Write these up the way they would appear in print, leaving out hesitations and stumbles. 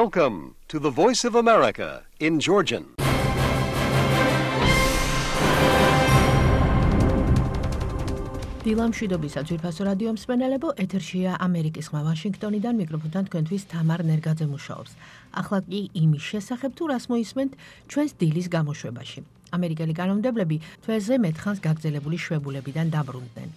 Welcome to the Voice of America in Georgian. დილამშვიდობისა ძვირფასო რადიო მსმენელებო, ეთერშია ამერიკის ხმა ვაშინგტონიდან, მიკროფონთან თქვენთვის თამარ ნერგაძე მუშაობს. ახლა კი იმის შესახებ თუ რას მოისმენთ ჩვენს დილის გამოშვებაში. ამერიკელი კანონმდებლები თვეზე მეტხანს გაგრძელებული შვებულებიდან დაბრუნდნენ.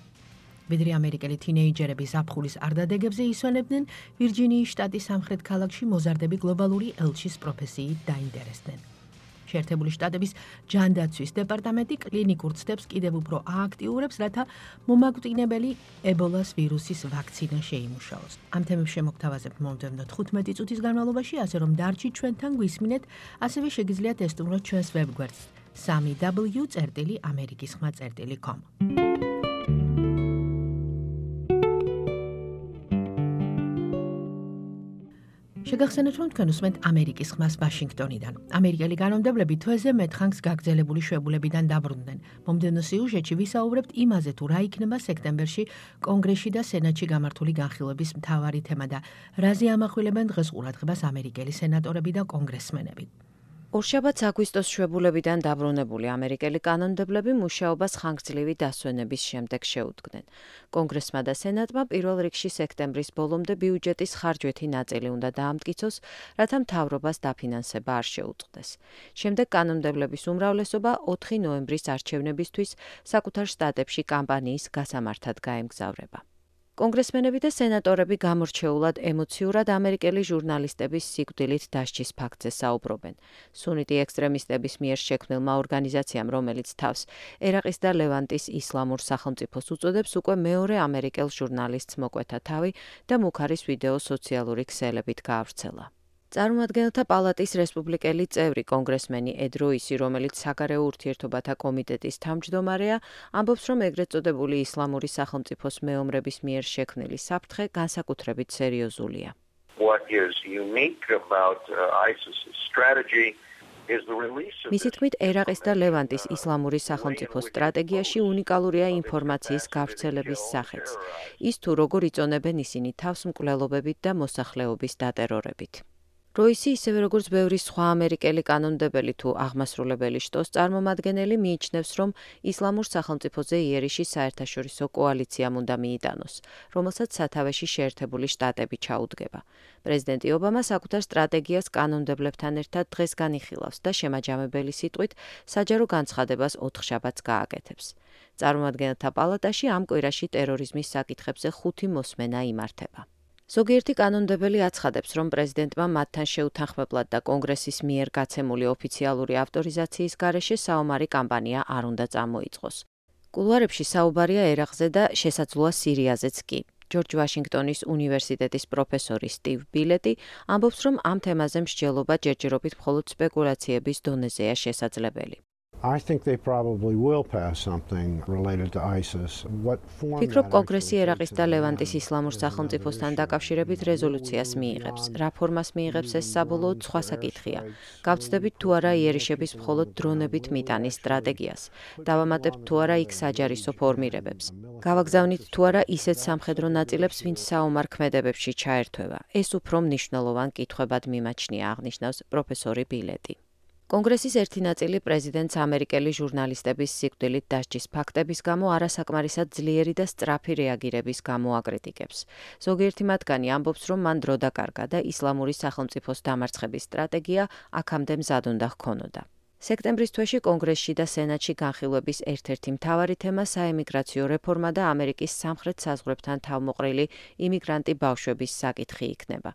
ვიდრე ამერიკელი თინეიჯერები ზაფხულის არდადეგებზე ისვენებდნენ, ვირჯინიის შტატის სამხრეთ ქალაქში მოზარდები გლობალური ელჩის პროფესიით დაინტერესდნენ. შეერთებული შტატების ჯანდაცვის დეპარტამენტი კლინიკურ ცდებს კიდევ უფრო ააქტიურებს, რათა მომაკვდინებელი ებოლას ვირუსის ვაქცინა შეიმუშაოს. ამ თემებს შემოგთავაზებთ მომდევნო 15 წუთის განმავლობაში, ასე რომ დარჩით ჩვენთან გვისმინეთ, ასევე შეგიძლიათ ესტუმროთ ჩვენს ვებგვერდს 3w.amerikisxma.com. შეგახსენებთ, რომ თქვენ უსმენთ ამერიკის ხმას ვაშინგტონიდან. ამერიკელი კანონმდებლები თვეზე მეტხანს გაგრძელებული შვებულებიდან დაბრუნდნენ. მომდევნო სიუჟეტში ვისაუბრებთ იმაზე, თუ რა იქნება სექტემბერში კონგრესში და სენატში გამართული განხილვების მთავარი თემა და რაზე ამახვილებენ დღეს ყურადღებას ამერიკელი სენატორები და კონგრესმენები. ორშაბათს აგვისტოს შვებულებიდან დაბრუნებული ამერიკელი კანონმდებლები მუშაობას ხანგრძლივი დასვენების შემდეგ შეუდგნენ. კონგრესმა და სენატმა პირველ რიგში სექტემბრის ბოლომდე ბიუჯეტის ხარჯვეთი ნაწილი უნდა დაამტკიცოს, რათა მთავრობას დაფინანსება არ შეუწყდეს. შემდეგ კანონმდებლების უმრავლესობა 4 ნოემბრის არჩევნებისთვის საკუთარ შტატებში კამპანიის გასამართად გაემგზავრება. კონგრესმენები და სენატორები გამორჩეულად ემოციურად ამერიკელი ჟურნალისტების სიკვდილით დასჯის ფაქტზე საუბრობენ. სუნიტი ექსტრემისტების მიერ შექმნილმა ორგანიზაციამ, რომელიც თავს ერაყის და ლევანტის ისლამურ სახელმწიფოს უწოდებს, უკვე მეორე ამერიკელ ჟურნალისტს მოკვეთა თავი და მუქარის ვიდეო სოციალური ქსელებით გაავრცელა. წარმომადგენელთა პალატის რესპუბლიკელი წევრი კონგრესმენი ედ როისი, რომელიც საგარეო ურთიერთობათა კომიტეტის თავმჯდომარეა, ამბობს, რომ ეგრეთ წოდებული ისლამური სახელმწიფოს მეომრების მიერ შექმნილი საფრთხე განსაკუთრებით სერიოზულია. What is unique about ISIS's strategy is the release of მისი თქმით, ერაყის და ლევანტის ისლამური სახელმწიფოს სტრატეგიაში უნიკალურია ინფორმაციის გავრცელების სახეც. ის თუ როგორ იწონებენ ისინი თავს მკვლელობებით და მოსახლეობის დატერორებით. როისი, ისევე როგორც ბევრი სხვა ამერიკელი კანონმდებელი თუ აღმასრულებელი შტოს წარმომადგენელი, მიიჩნევს, რომ ისლამურ სახელმწიფოზე იერიში საერთაშორისო კოალიციამ უნდა მიიტანოს, რომელსაც სათავეში შეერთებული შტატები ჩაუდგება. პრეზიდენტი ობამა საკუთარ სტრატეგიას კანონმდებლებთან ერთად დღეს განიხილავს და შემაჯამებელი სიტყვით საჯარო განცხადებას 4 შაბათს გააკეთებს. წარმომადგენელთა პალატაში ამ კვირაში ტერორიზმის საკითხებზე 5 მოსმენა იმართება. ზოგიერთი კანონმდებელი აცხადებს, რომ პრეზიდენტმა მათთან შეუთანხმებლად და კონგრესის მიერ გაცემული ოფიციალური ავტორიზაციის გარეშე საომარი კამპანია არ უნდა წამოიწყოს. კულუარებში საუბარია ერაყზე და შესაძლოა სირიაზეც კი. ჯორჯ ვაშინგტონის უნივერსიტეტის პროფესორი სტივ ბილეტი ამბობს, რომ ამ თემაზე მსჯელობა ჯერჯერობით მხოლოდ სპეკულაციების დონეზეა შესაძლებელი. I think they probably will pass something related to ISIS. What form ფიქრობ, კონგრესი ერაყის და ლევანტის ისლამურ სახელმწიფოსთან დაკავშირებით რეზოლუციას მიიღებს. რა ფორმას მიიღებს ეს საბოლოოდ სხვა საკითხია. გავცდებით თუ არა იერიშების მხოლოდ დრონებით მიტანის სტრატეგიას. დავამატებთ თუ არა იქ საჯარისო ფორმირებებს. გავაგზავნით თუ არა ისეთ სამხედრო ნაწილებს, ვინც საომარ ქმედებებში ჩაერთვება. ეს უფრო მნიშვნელოვან კითხვებად მიმაჩნია, აღნიშნავს პროფესორი ბილეტი. კონგრესის ერთი ნაწილი პრეზიდენტს ამერიკელი ჟურნალისტების სიკვდილით დასჯის ფაქტების გამო არასაკმარისად ძლიერი და სწრაფი რეაგირების გამო აკრიტიკებს. ზოგიერთი მათგანი ამბობს, რომ მან დრო დაკარგა და ისლამური სახელმწიფოს დამარცხების სტრატეგია აქამდე მზად უნდა ჰქონოდა. სექტემბრის თვეში კონგრესში და სენატში განხილვების ერთ-ერთი მთავარი თემა საემიგრაციო რეფორმა და ამერიკის სამხრეთ საზღვრებთან თავმოყრილი იმიგრანტი ბავშვების საკითხი იქნება.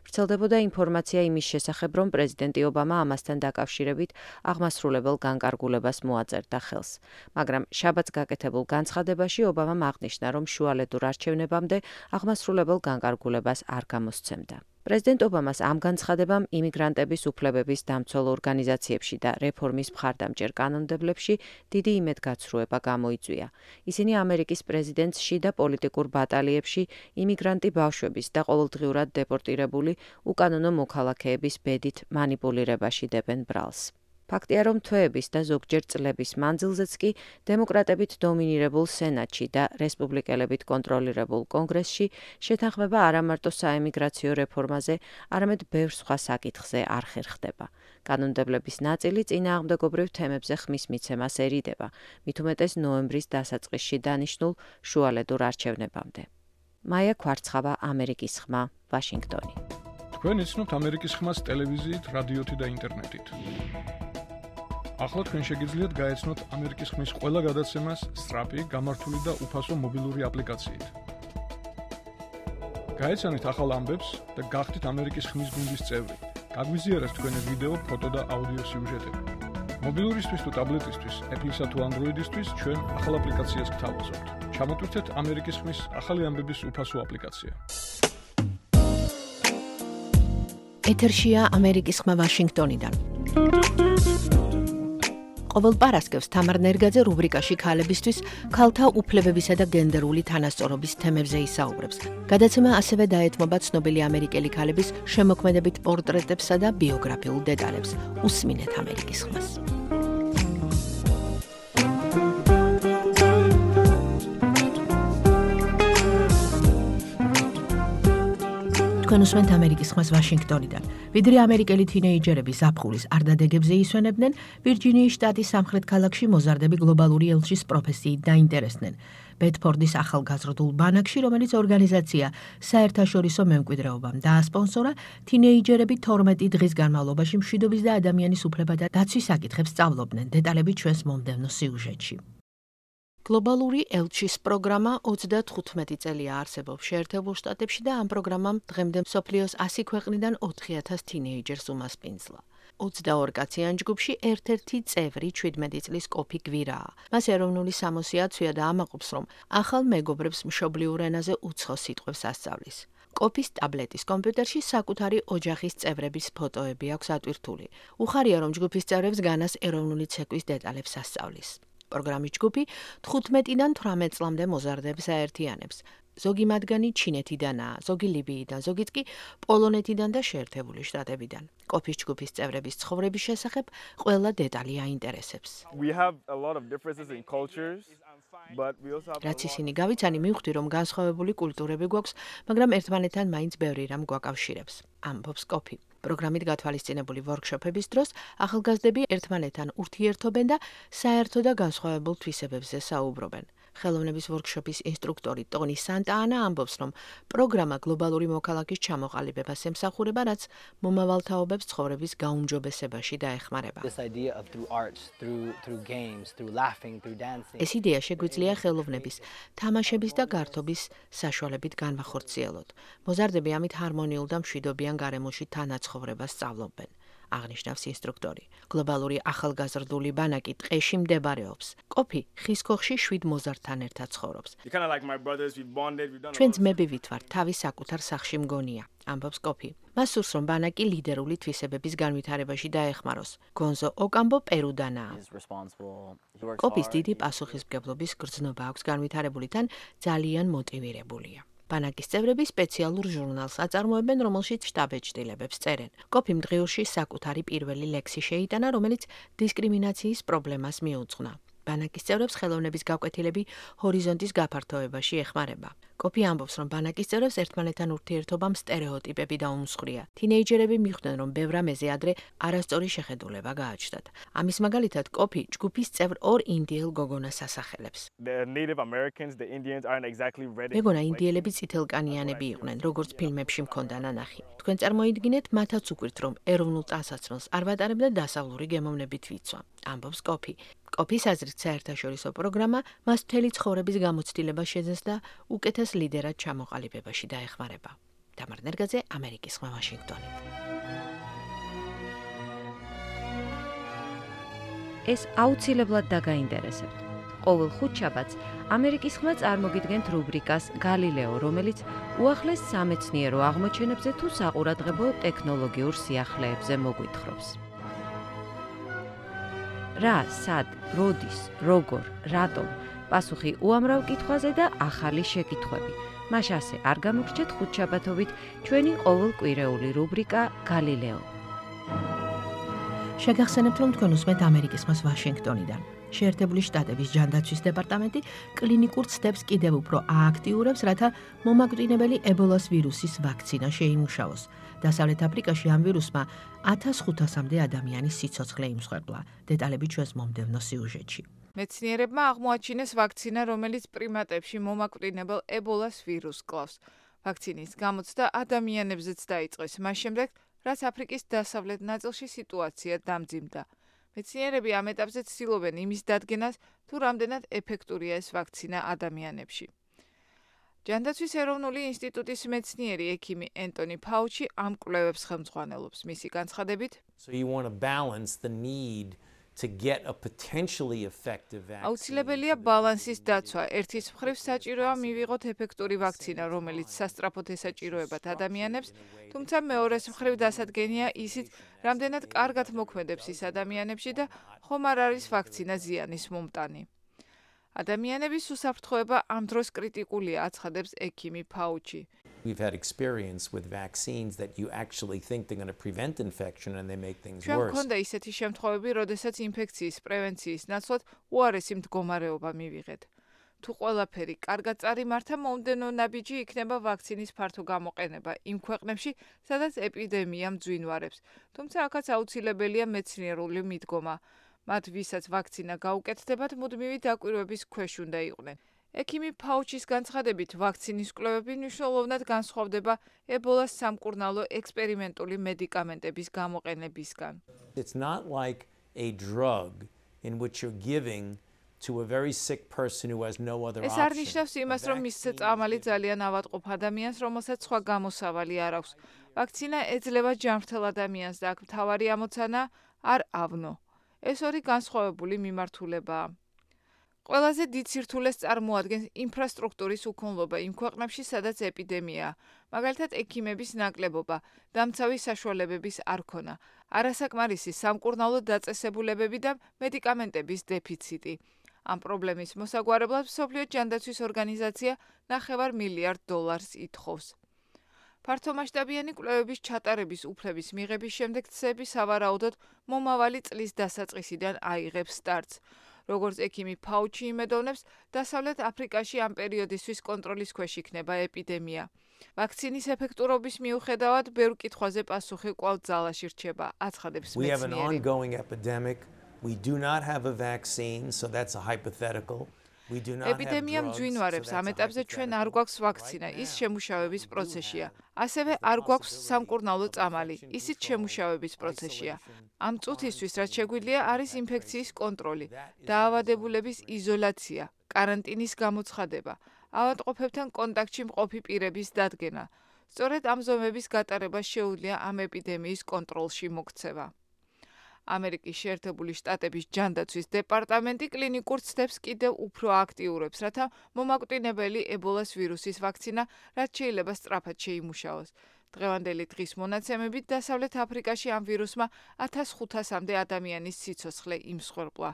ვრცელდებოდა ინფორმაცია იმის შესახებ, რომ პრეზიდენტი ობამა ამასთან დაკავშირებით აღმასრულებელ განკარგულებას მოაწერდა ხელს. მაგრამ შაბათს გაკეთებულ განცხადებაში ობამამ აღნიშნა, რომ შუალედურ არჩევნებამდე აღმასრულებელ განკარგულებას არ გამოსცემდა. პრეზიდენტ ობამას ამ განცხადებამ იმიგრანტების უფლებების დამცველ ორგანიზაციებში და რეფორმის მხარდამჭერ კანონმდებლებში დიდი იმედგაცრუება გამოიწვია. ისინი ამერიკის პრეზიდენტს შიდა პოლიტიკურ ბატალიებში იმიგრანტი ბავშვების და ყოველდღიურად დეპორტირებული უკანონო მოქალაქეების ბედით მანიპულირებაში დებენ ბრალს. ფაქტია, რომ თვეების და ზოგჯერ წლების მანძილზეც კი დემოკრატებით დომინირებულ სენატში და რესპუბლიკელებით კონტროლირებულ კონგრესში შეთანხმება არა მარტო საემიგრაციო რეფორმაზე, არამედ ბევრ სხვა საკითხზე არ ხერხდება. კანონმდებლების ნაწილი წინააღმდეგობრივ თემებზე ხმის მიცემას ერიდება, მით უმეტეს ნოემბრის დასაწყისში დანიშნულ შუალედურ არჩევნებამდე. მაია ქვარცხავა, ამერიკის ხმა, ვაშინგტონი. თქვენ იცნობთ ამერიკის ხმას ტელევიზიით, რადიოთი და ინტერნეტით. ახლა თქვენ შეგიძლიათ გაეცნოთ ამერიკის ხმის ყველა გადაცემას სწრაფი, გამართული და უფასო მობილური აპლიკაციით. გაეცანით ახალ ამბებს და გახდით ამერიკის ხმის გუნდის წევრი. გაგვიზიარეთ თქვენი ვიდეო, ფოტო და აუდიო სიუჟეტები. მობილურისთვის თუ ტაბლეტისთვის, Apple-ისა თუ Android-ისთვის ჩვენ ახალ აპლიკაციას გთავაზობთ. ჩამოტვირთეთ ამერიკის ხმის ახალი ამბების უფასო აპლიკაცია. ეთერშია ამერიკის ხმა ვაშინგტონიდან. ყოველ პარასკევს თამარ ნერგაძე რუბრიკაში ქალებისთვის ქალთა უფლებებისა და გენდერული თანასწორობის თემებზე ისაუბრებს. გადაცემა ასევე დაეთმობა ცნობილი ამერიკელი ქალების შემოქმედებით პორტრეტებსა და ბიოგრაფიულ დეტალებს. უსმინეთ ამერიკის ხმას. თქვენ უსმენთ ამერიკის ხმას ვაშინგტონიდან. ვიდრე ამერიკელი თინეიჯერები ზაფხულის არდადეგებზე ისვენებდნენ, ვირჯინიის შტატის სამხრეთ ქალაქში მოზარდები გლობალური ელჩის პროფესიით დაინტერესდნენ. ბედფორდის ახალგაზრდულ ბანაკში, რომელიც ორგანიზაცია საერთაშორისო მემკვიდრეობამ დაასპონსორა, თინეიჯერები 12 დღის განმავლობაში მშვიდობის და ადამიანის უფლებათა დაცვის საკითხებს სწავლობდნენ. დეტალები ჩვენს მომდევნო სიუჟეტში. გლობალური ელჩის პროგრამა 35 წელია არსებობს შეერთებულ შტატებში და ამ პროგრამამ დღემდე მსოფლიოს 100 ქვეყნიდან 4000 თინეიჯერს უმასპინძლა. 22 კაციან ჯგუფში ერთ-ერთი წევრი 17 წლის კოფი გვირაა. მას ეროვნული სამოსი აცვია და ამაყობს, რომ ახალ მეგობრებს მშობლიურ ენაზე უცხო სიტყვებს ასწავლის. კოფის ტაბლეტის კომპიუტერში საკუთარი ოჯახის წევრების ფოტოები აქვს ატვირთული. უხარია, რომ ჯგუფის წევრებს განას ეროვნული ცეკვის დეტალებს ასწავლის. პროგრამის ჯგუფი 15-დან 18 წლამდე მოზარდებს აერთიანებს. ზოგი მათგანი ჩინეთიდანაა, ზოგი ლიბიიდან, ზოგიც კი პოლონეთიდან და შეერთებული შტატებიდან. კოფის ჯგუფის წევრების ცხოვრების შესახებ ყველა დეტალი აინტერესებს. რაც ისინი გავიცანი, მივხვდი, რომ განსხვავებული კულტურები გვაქვს, მაგრამ ერთმანეთთან მაინც ბევრი რამ გვაკავშირებს. ამბობს კოფი. პროგრამით გათვალისწინებული ვორქშოპების დროს ახალგაზრდები ერთმანეთთან ურთიერთობენ და საერთო და განსხვავებულ თვისებებზე საუბრობენ. ხელოვნების ვორქშოპის ინსტრუქტორი ტონი სანტაანა ამბობს, რომ პროგრამა გლობალური მოქალაქის ჩამოყალიბებას ემსახურება, რაც მომავალთაობებს ცხოვრების გაუმჯობესებაში დაეხმარება. ეს იდეა შეგვიძლია ხელოვნების, თამაშების და გართობის საშუალებით განვახორციელოთ. მოზარდები ამით ჰარმონიულ და მშვიდობიან გარემოში თანაცხოვრებას სწავლობენ. აღნიშნავს ინსტრუქტორი. გლობალური ახალგაზრდული ბანაკი ტყეში მდებარეობს. კოფი ხის ქოხში 7 მოზარდთან ერთად ცხოვრობს. ჩვენ ძმებივით ვართ, თავის საკუთარ სახლში მგონია, ამბობს კოფი. მას სურს, რომ ბანაკი ლიდერული თვისებების განვითარებაში დაეხმაროს. გონზო ოკამბო პერუდანაა. კოფის დიდი პასუხისმგებლობის გრძნობა აქვს განვითარებული თან ძალიან მოტივირებულია. ბანაკის წევრები სპეციალურ ჟურნალს აწარმოებენ, რომელშიც შტაბ-ეჭდილებებს წერენ. კოფიმ დღიურში საკუთარი პირველი ლექსი შეიტანა, რომელიც დისკრიმინაციის პრობლემას მიუძღვნა. ბანაკის წევრებს ხელოვნების გაკვეთილები ჰორიზონტის გაფართოებაში ეხმარება. კოფი ამბობს, რომ ბანაკის წევრებს ერთმანეთთან ურთიერთობამ სტერეოტიპები დაუმსხვრია. თინეიჯერები მიხვდნენ, რომ ბევრ რამეზე ადრე არასწორი შეხედულება გააჩნდათ. ამის მაგალითად, კოფი ჯგუფის წევრ ორ ინდიელ გოგონას ასახელებს. მეგონა ინდიელები წითელკანიანები იყვნენ, როგორც ფილმებში მქონდა ნანახი. თქვენ წარმოიდგინეთ, მათაც უკვირთ, რომ ეროვნულ ტანსაცმელს არ ვატარებდა დასავლური გემოვნებით ვიცვა. ამბობს კოფი. კოფის აზრით საერთაშორისო პროგრამა მას მთელი ცხოვრების გამოცდილება შეძენს და უკეთეს ლიდერად ჩამოყალიბებაში დაეხმარება. თამარ ნერგაძე, ამერიკის ხმა, ვაშინგტონი. ეს აუცილებლად დაგაინტერესებთ. ყოველ ხუთშაბათს ამერიკის ხმა წარმოგიდგენთ რუბრიკას გალილეო, რომელიც უახლეს სამეცნიერო აღმოჩენებზე თუ საყურადღებო ტექნოლოგიურ სიახლეებზე მოგვითხრობს. რა, სად, როდის, როგორ, რატომ, პასუხი უამრავ კითხვაზე და ახალი შეკითხვები. მას ასე არ გამოგრჩეთ ხუთშაბათობით ჩვენი ყოველკვირეული რუბრიკა გალილეო. შეგახსენებთ, რომ თქვენ უსმენთ ამერიკის ხმას ვაშინგტონიდან. შეერთებული შტატების ჯანდაცვის დეპარტამენტი კლინიკურ ცდებს კიდევ უფრო ააქტიურებს, რათა მომაკვდინებელი ებოლას ვირუსის ვაქცინა შეიმუშაოს. დასავლეთ აფრიკაში ამ ვირუსმა 1500-მდე ადამიანის სიცოცხლე იმსხვერპლა. დეტალები ჩვენს მომდევნო სიუჟეტში. მეცნიერებმა აღმოაჩინეს ვაქცინა, რომელიც პრიმატებში მომაკვდინებელ ებოლას ვირუსს კლავს. ვაქცინის გამოცდა ადამიანებზეც დაიწყეს, მას შემდეგ, რაც აფრიკის დასავლეთ ნაწილში სიტუაცია დამძიმდა. მეცნიერები ამ ეტაპზე ცდილობენ იმის დადგენას, თუ რამდენად ეფექტურია ეს ვაქცინა ადამიანებში. ჯანდაცვის ეროვნული ინსტიტუტის მეცნიერი ექიმი ენტონი ფაუჩი ამ კვლევებს ხელმძღვანელობს. მისი განცხადებით, აუცილებელია ბალანსის დაცვა. ერთის მხრივ საჭიროა მივიღოთ ეფექტური ვაქცინა, რომელიც სასწრაფოდ ესაჭიროებათ ადამიანებს, თუმცა მეორეს მხრივ დასადგენია ისიც, რამდენად კარგად მოქმედებს ის ადამიანებში და ხომ არ არის ვაქცინა ზიანის მომტანი. ადამიანების უსაფრთხოება ამ დროს კრიტიკულია, აცხადებს ექიმი ფაუჩი. We've had experience with vaccines that you actually think they're going to prevent infection and they make things ჩვენ worse. გვქონდა ისეთი შემთხვევები, როდესაც ინფექციის პრევენციის ნაცვლად უარესი მდგომარეობა მივიღეთ. თუ ყველაფერი კარგად წარიმართა, მომდევნო ნაბიჯი იქნება ვაქცინის ფართო გამოყენება იმ ქვეყნებში, სადაც ეპიდემია მძვინვარებს. თუმცა აქაც აუცილებელია მეცნიერული მიდგომა. მათ ვისაც ვაქცინა გაუკეთდებათ, მუდმივი დაკვირვების ქვეშ უნდა იყვნენ. ექიმი ფაუჩის განცხადებით, ვაქცინის კვლევები მნიშვნელოვნად განსხვავდება ებოლას სამკურნალო ექსპერიმენტული მედიკამენტების გამოყენებისგან. It's not like a drug in which you're giving to a very sick person who has no other option. ეს არ ნიშნავს იმას, რომ მისცე წამალი ძალიან ავადმყოფ ადამიანს, რომელსაც სხვა გამოსავალი არ აქვს. ვაქცინა ეძლევა ჯანმრთელ ადამიანს და აქ მთავარი ამოცანა არ ავნო. ეს ორი განსხვავებული მიმართულებაა. ყველაზე დიდ სირთულეს წარმოადგენს ინფრასტრუქტურის უქონლობა იმ ქვეყნებში, სადაც ეპიდემიაა. მაგალითად, ექიმების ნაკლებობა, დამცავი საშუალებების არ ქონა, არასაკმარისი სამკურნალო დაწესებულებები და მედიკამენტების დეფიციტი. ამ პრობლემის მოსაგვარებლად მსოფლიო ჯანდაცვის ორგანიზაცია $9 მილიარდ ითხოვს. ფართომასშტაბიანი კვლევების ჩატარების უფლების მიღების შემდეგ ცდები სავარაუდოდ მომავალი წლის დასაწყისიდან აიღებს სტარტს. როგორც ექიმი ფაუჩი იმედოვნებს, დასავლეთ აფრიკაში ამ პერიოდისთვის კონტროლის ქვეშ იქნება ეპიდემია. ვაქცინის ეფექტურობის მიუხედავად, ბევრ კითხვაზე პასუხი კვლავ ძალაში რჩება, აცხადებს მეცნიერი. We have an ongoing epidemic. We do not have a vaccine, so that's a hypothetical. ეპიდემია მძვინვარებს, ამ ეტაპზე ჩვენ არ გვაქვს ვაქცინა, ის შემუშავების პროცესია. ასევე არ გვაქვს სამკურნალო წამალი, ისიც შემუშავების პროცესია. ამ წუთისთვის, რაც შეგვიძლია, არის ინფექციის კონტროლი, დაავადებულების იზოლაცია, კარანტინის გამოცხადება, ავადმყოფებთან კონტაქტში მყოფი პირების დადგენა. სწორედ ამ ზომების გატარება შეუძლია ამ ეპიდემიის კონტროლში მოქცევა. ამერიკის შეერთებული შტატების ჯანდაცვის დეპარტამენტი კლინიკურ ცდებს კიდევ უფრო აქტიურებს, რათა მომაკვდინებელი ებოლას ვირუსის ვაქცინა რაც შეიძლება სწრაფად შეიმუშაოს. დღევანდელი დღის მონაცემებით დასავლეთ აფრიკაში ამ ვირუსმა 1500-მდე ადამიანის სიცოცხლე იმსხვერპლა.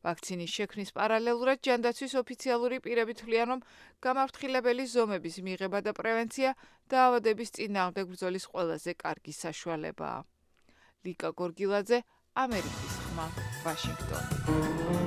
ვაქცინის შექმნის პარალელურად ჯანდაცვის ოფიციალური პირები თვლიან, რომ გამაფრთხილებელი ზომების მიღება და პრევენცია დაავადების წინააღმდეგ ბრძოლის ყველაზე კარგი საშუალებაა. ლიკა გორგილაძე, ამერიკის ხმა, ვაშინგტონი.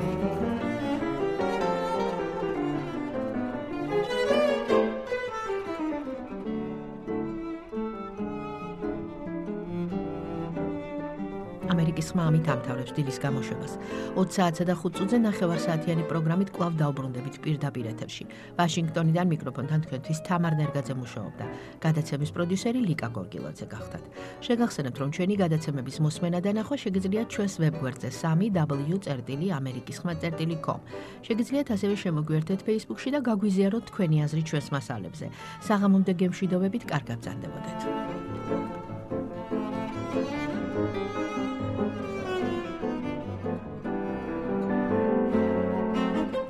ამერიკის ხმა ამით ამთავრებს დილის გამოშვებას. 20 საათსა და 5 წუთზე 9 საათიანი პროგრამით კვლავ დავბრუნდებით პირდაპირ ეთერში. ვაშინგტონიდან მიკროფონთან თქვენთვის თამარ ნერგაძე მუშაობდა. გადაცემის პროდიუსერი ლიკა გორგილაძე გახდათ. შეგახსენებთ, რომ ჩვენი გადაცემების მოსმენა და ნახვა შეგიძლიათ ჩვენს ვებგვერდზე www.amerikiskhma.com. შეგიძლიათ ასევე შემოგვიერთდეთ Facebook-ში და გაგვიზიაროთ თქვენი აზრი ჩვენს მასალებზე. საღამომდე გემშვიდობებით, კარგად გრძანდებოდეთ.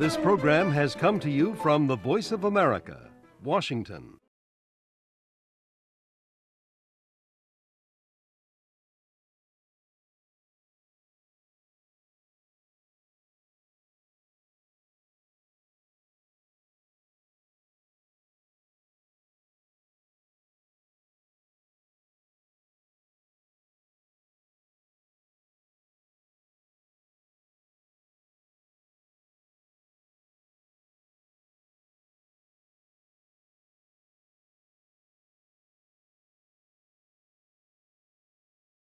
This program has come to you from the Voice of America, Washington.